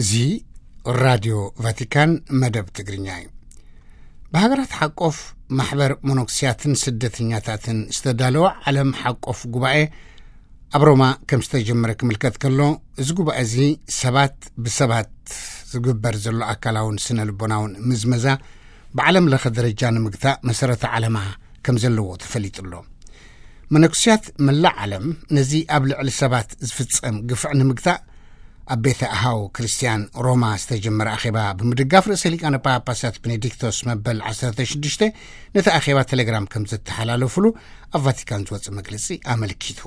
እዚ ራድዮ ቫቲካን መደብ ትግርኛ እዩ። ብሃገራት ሓቆፍ ማሕበር መነኩስያትን ስደተኛታትን ዝተዳለወ ዓለም ሓቆፍ ጉባኤ ኣብ ሮማ ከም ዝተጀመረ ክምልከት ከሎ፣ እዚ ጉባኤ እዚ ሰባት ብሰባት ዝግበር ዘሎ ኣካላውን ስነ ልቦናውን ምዝመዛ ብዓለም ለኸ ደረጃ ንምግታእ መሰረተ ዓለማ ከም ዘለዎ ተፈሊጡ ኣሎ። መነኩስያት መላእ ዓለም ነዚ ኣብ ልዕሊ ሰባት ዝፍጸም ግፍዕ ንምግታእ ኣብ ቤተ ኣሃው ክርስትያን ሮማ ዝተጀመረ ኣኼባ ብምድጋፍ ርእሰ ሊቃነ ጳጳሳት ቤኔዲክቶስ መበል ዓሰርተ ሽዱሽተ ነቲ ኣኼባ ቴሌግራም ከም ዘተሓላለፉሉ ኣብ ቫቲካን ዝወጸ መግለጺ ኣመልኪቱ።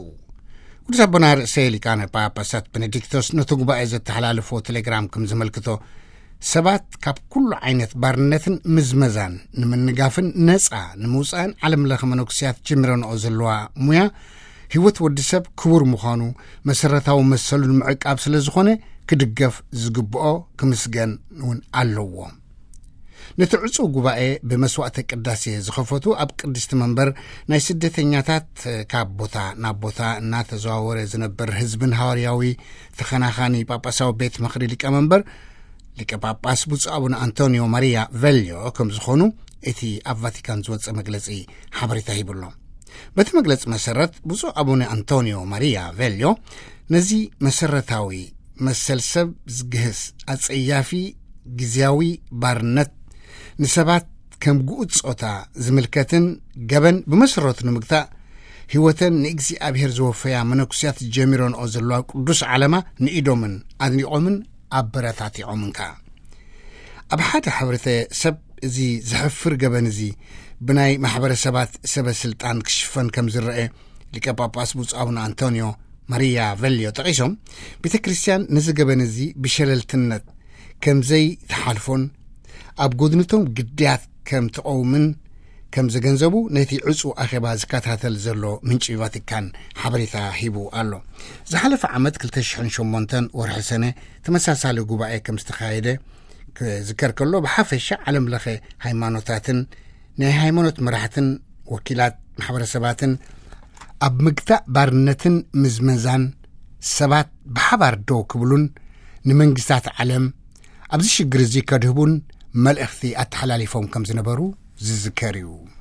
ቅዱስ ኣቦና ርእሰ ሊቃነ ጳጳሳት ቤኔዲክቶስ ነቲ ጉባኤ ዘተሓላለፎ ቴሌግራም ከም ዘመልክቶ፣ ሰባት ካብ ኩሉ ዓይነት ባርነትን ምዝመዛን ንምንጋፍን ነጻ ንምውጻእን ዓለም ለኸ መነኩስያት ጀሚረንኦ ዘለዋ ሙያ፣ ህይወት ወዲ ሰብ ክቡር ምዃኑ መሰረታዊ መሰሉ ንምዕቃብ ስለ ዝኾነ ክድገፍ ዝግብኦ ክምስገን እውን ኣለዎ። ነቲ ዕጹው ጉባኤ ብመስዋዕተ ቅዳሴ ዝኸፈቱ ኣብ ቅድስቲ መንበር ናይ ስደተኛታት ካብ ቦታ ናብ ቦታ እናተዘዋወረ ዝነበር ህዝብን ሃዋርያዊ ተኸናኻኒ ጳጳሳዊ ቤት ምኽሪ ሊቀ መንበር ሊቀ ጳጳስ ብፁዕ ኣቡነ ኣንቶኒዮ ማሪያ ቬልዮ ከም ዝኾኑ እቲ ኣብ ቫቲካን ዝወጸ መግለጺ ሓበሬታ ሂቡ ኣሎ። በቲ መግለጺ መሰረት ብፁዕ ኣቡነ ኣንቶኒዮ ማሪያ ቬልዮ ነዚ መሰረታዊ መሰል ሰብ ዝግህስ ኣጸያፊ ግዝያዊ ባርነት ንሰባት ከም ግኡት ጾታ ዝምልከትን ገበን ብመሰረቱ ንምግታእ ህይወተን ንእግዚኣብሔር ዝወፈያ መነኩስያት ጀሚረንኦ ዘለዋ ቅዱስ ዓለማ ንኢዶምን ኣድኒቖምን ኣበረታቲዖምን ከኣ። ኣብ ሓደ ሕብረተሰብ እዚ ዘሕፍር ገበን እዚ ብናይ ማሕበረሰባት ሰበ ስልጣን ክሽፈን ከም ዝረአ ሊቀ ጳጳስ ብፁዕ ኣቡነ ኣንቶኒዮ ማሪያ ቬልዮ ጠቒሶም፣ ቤተ ክርስቲያን ነዚ ገበን እዚ ብሸለልትነት ከም ዘይትሓልፎን ኣብ ጎድንቶም ግድያት ከም ትቐውምን ከም ዘገንዘቡ ነቲ ዕጹ ኣኼባ ዝከታተል ዘሎ ምንጪ ቫቲካን ሓበሬታ ሂቡ ኣሎ። ዝሓለፈ ዓመት ክልተ ሽሕን ሸሞንተን ወርሒ ሰነ ተመሳሳሊ ጉባኤ ከም ዝተኻየደ ክዝከር ከሎ፣ ብሓፈሻ ዓለም ለኸ ሃይማኖታትን ናይ ሃይማኖት መራሕትን ወኪላት ማሕበረሰባትን ኣብ ምግታእ ባርነትን ምዝመዛን ሰባት ብሓባር ደው ክብሉን ንመንግስታት ዓለም ኣብዚ ሽግር እዚ ከድህቡን መልእኽቲ ኣተሓላሊፎም ከም ዝነበሩ ዝዝከር እዩ።